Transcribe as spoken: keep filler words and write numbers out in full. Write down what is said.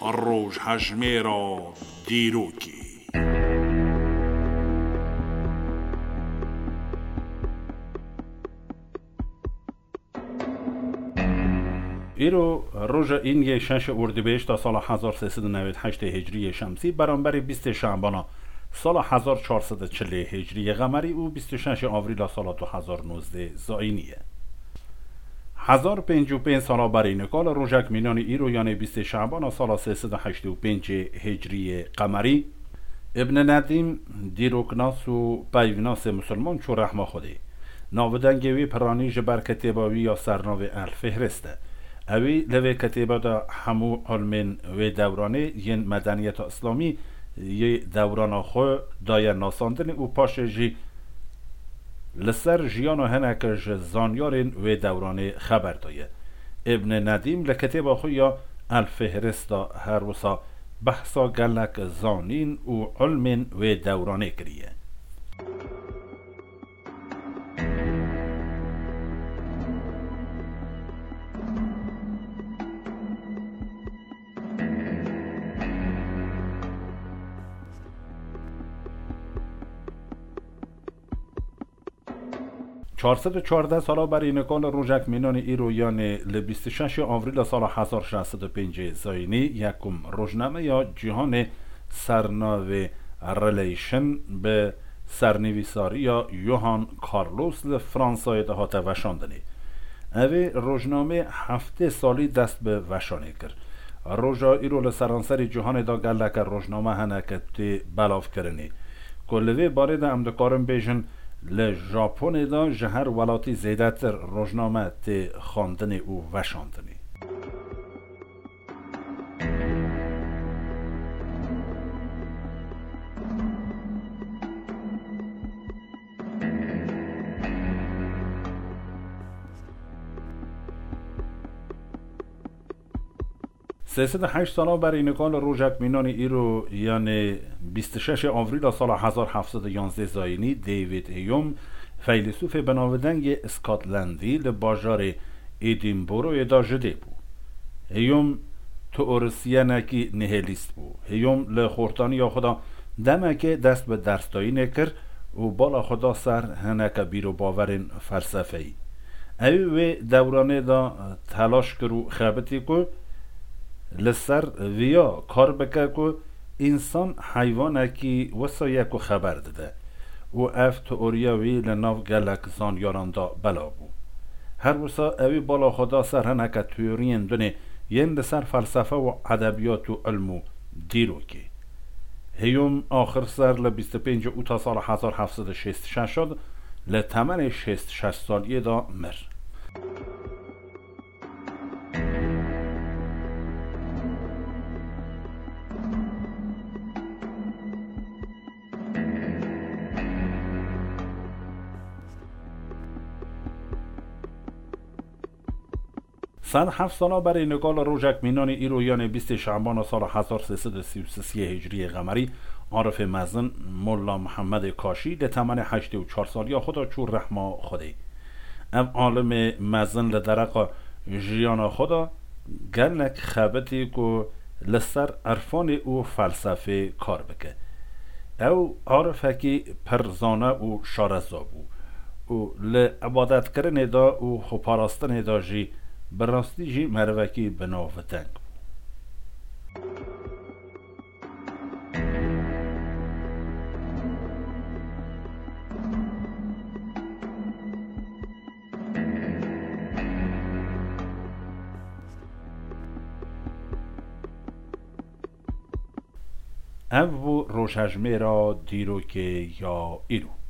Rojhejmêra dîrokê. Îro roja Îniyê şeşê Ordibêjta sala hezar sê sed û newêd heştê Hicriyê Şemsî, beramberî bîstê Şabana sala hezar çar sed û çilê Hicriyê Qemerî û bîst û şeşê Avrîla sala du hezar nozdeh Zayînî ye. Hezar pêncî û pênc sala berî nika li rojek mînanî îro, yanê bîstê Şabana sala sê sed û heştê û pêncê Hicriyê Qemerî, Îbn Nedîm, dîroknas û peyvnasê misilman çû rehma Xwedê. Navdengê wî piranî ji ber kitêba wî ya sernavê El Fihrist e. Ewî li vê kitêba de hemû ilmên wê dewranê yên medeniyeta îslamî yê dewrana xwe daye nasandinê û paşê jî li ser jiyana hineke ji zanyarên wê dewranê xeber daye. Îbn Nedîm li kitêba xwe ya El Fihrist de her wisa behsa gelek zanîn û ilmên wê dewranê kiriye. Çar sed û çardeh sala berî nika li rojek mînanî îro, yanê li bîst û şeşê Avrîla sala hezar şeş sed û pêncê Zayînî, yekum rojnameya cîhanê sernavê Relation bi sernivîsariya Johan Carlos li Fransayê de hate veşandinê. Evê rojnamê heftê salî dest bi veşanê kir. Roja îro li seranserî cîhanê de geleke rojname hene ke tê belavkirinê. Ku li vê barê de em dikarin bêjin, li Japonê de ji her welatî zêdetir rojname tê xwendinê û veşandinê. Sê sed û heşt sala berî nika li rojek mînanî îro, yanê bîst û şeşê Avrîla sala hezar heft sed û yanzdeh Zayînî, David Hume, feylesûfê binavdengê Scotlandî li bajarê Edinburghê de ji dê bû. Hume teorisyenekî nihilîst bû. Hume li xortaniya xwe de demekê dest bi dersdayînê kir û bala xwe da ser hineke bîrobawerên felsefeyî. Ew wê dewranê de telaş kir û xebitî ku li ser viya kar bike ku însan heywanekî wisa ye ku xeber dide û ev teoriya wî li nav gelek zanyaran de belav bû. Her wisa ewî bala xwe da ser hineke teoriyên dinê yên li ser felsefe û edebiyat û ilm û dîrokê. Hume axir ser li bîst û pêncê Ûta sala hezar heft sed û şêst û şeş de li temenê şêst û şeş saliyê de mir. Sed heft sala berê nika li rojek mînanê îro, yanê bîstê Şabana sala hezar sê sed û sî û sê Hicriyê Qemerî, arifê mezin Molla Mihemedê Kaşî di temenê heştê û çar saliya xwe de çû rehma Xwedê. Ev alimê mezin li dereqa jiyana xwe de gelek xebitî ku li ser irfanê û felsefê kar bike. Ew arifekî pir zane û şareza bû û li ibadetkirinê de û xweparastinê de jî bi rastî jî merivekî binavdeng bû. Ev bû rojhejmêra dîrokê ya îro.